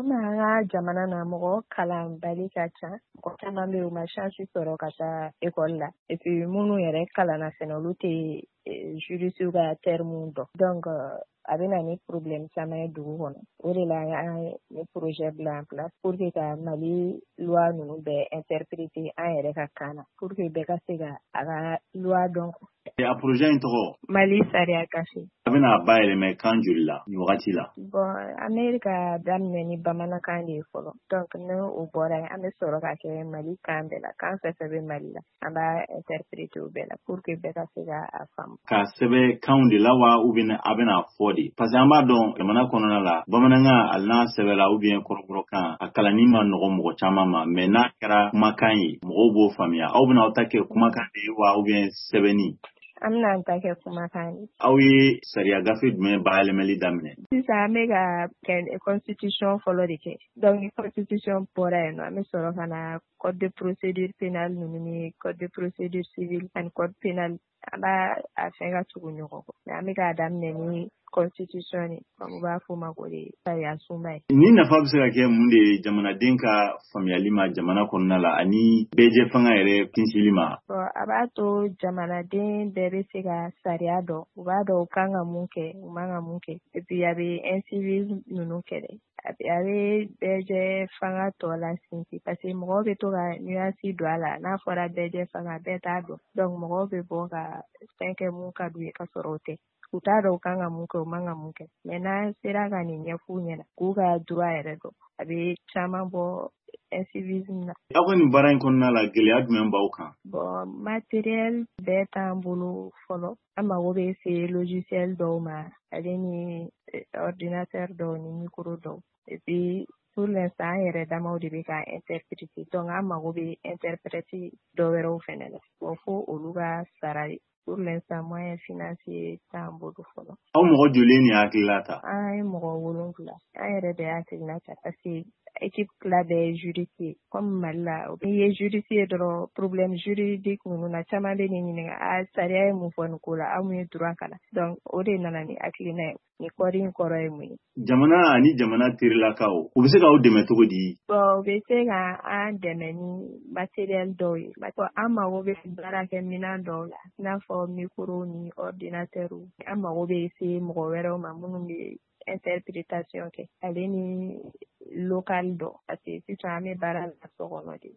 Komi an ka jamana na, mɔgɔ kalanbali ka ca, mɔgɔ caman bɛ yen, u ma chance sɔrɔ ka taa école la. Et puis minnu yɛrɛ kalanna fɛnɛ, olu tɛ juriste ka terme dɔn. Donc a bɛ na ni problème caman ye dugu kɔnɔ. O de la an ye ni projet bila en place pour que ka Mali loi ninnu bɛɛ interpréter an yɛrɛ ka kan na, pour que bɛɛ ka se ka a ka loi dɔn. A projet in tɔgɔ? Mali sariya gafe. A bɛna bayɛlɛmɛ kan joli la nin wagati la? Bon, an bɛ ka daminɛ ni bamanankan de ye fɔlɔ. Donc ni o bɔra yen, an bɛ sɔrɔ ka kɛ Mali kan bɛɛ la. Kan fɛn fɛn bɛ Mali la, an b'a interpréter o bɛɛ la pour que bɛɛ ka se ka a faamu. K'a sɛbɛn kanw de la wa, ou bien a bɛna fɔ de? Parce que an b'a dɔn, jamana kɔnɔna la, bamanankan, hali n'a sɛbɛnla ou bien kɔrɔbɔrɔkan, a kalanni ma nɔgɔ mɔgɔ caman ma, mais n'a kɛra kumakan ye, mɔgɔw b'o faamuya. Aw bɛna aw ta kɛ kumakan de ye wa, ou bien sɛbɛnni? An bɛna an ta kɛ kumakan ye. Aw ye sariya gafe jumɛn bayɛlɛmali daminɛ? Sisan an bɛ ka kɛ constitution fɔlɔ de kɛ. Donc ni constitution bɔra yen nɔ, an bɛ sɔrɔ ka na code de procédure pénale ninnu ni code de procédure civile ani code pénal. An b'a a fɛn ka tugu ɲɔgɔn kɔ, mais an bɛ k'a daminɛ ni constitution de, comme u b'a fɔ o ma ko de sariya sunba ye. Ni nafa bɛ se ka kɛ mun de ye jamanaden ka faamuyali ma jamana kɔnɔna la ani bɛɛjɛ fanga yɛrɛ tinsili ma? Bon, a b'a to jamanaden bɛɛ bɛ se ka sariya dɔn, u b'a dɔn u kan ka mun kɛ, u man ka mun kɛ. Et puis a bɛ incivisme ninnu kɛlɛ, a bɛ bɛɛjɛ fanga tɔ la sinsin, parce que mɔgɔw bɛ to ka nuance don a la. N'a fɔra bɛɛjɛ fanga, bɛɛ t'a dɔn. Donc mɔgɔw bɛ bɔ ka fɛn kɛ mun ka d'u ye, ka sɔrɔ o tɛ, u t'a dɔn u kan ka mun kɛ, u man ka mun kɛ. Mais n'an sera ka nin ɲɛf'u ɲɛna, k'u ka droit yɛrɛ dɔn, a bɛ caman bɔ incivisme na. Aw ka nin baara in kɔnɔna la, gɛlɛya jumɛn b'aw kan? Bon, matériel bɛɛ t'an bolo fɔlɔ. An mago bɛ se logiciel dɔw ma, ale ni ordinateur dɔw ni micro dɔw. Et puis pour l'instant, an yɛrɛ damaw de bɛ ka interpréter. Donc an mago bɛ interprète dɔ wɛrɛw fɛnɛ la. Bon, fo olu ka sara. Pour l'instant, moyen financier t'an bolo fɔlɔ. Aw mɔgɔ joli nin hakilila ta? An ye mɔgɔ 7. An yɛrɛ de y'a hakilina ta, parce que équipe tila bɛɛ ye juriste ye. Comme Mali la, n'i ye juriste ye dɔrɔn, problème juridique ninnu na, caman bɛ nin ɲininka: a sariya ye mun fɔ nin ko la, aw mun ye droit kalan? Donc o de nana ni hakilina ye. Nin code in kɔrɔ ye mun ye? Jamana ani jamana terilakaw, u bɛ se k'aw dɛmɛ cogo di? Bon, u bɛ se ka an dɛmɛ ni matériel dɔw ye. An mago bɛ baarakɛminɛn dɔw la, i n'a fɔ micro ni ordinateur. An mago bɛ se mɔgɔ wɛrɛw ma minnu bɛ interprétation kɛ, ale ni local dɔ, parce que sisan an bɛ baara la so kɔnɔ de.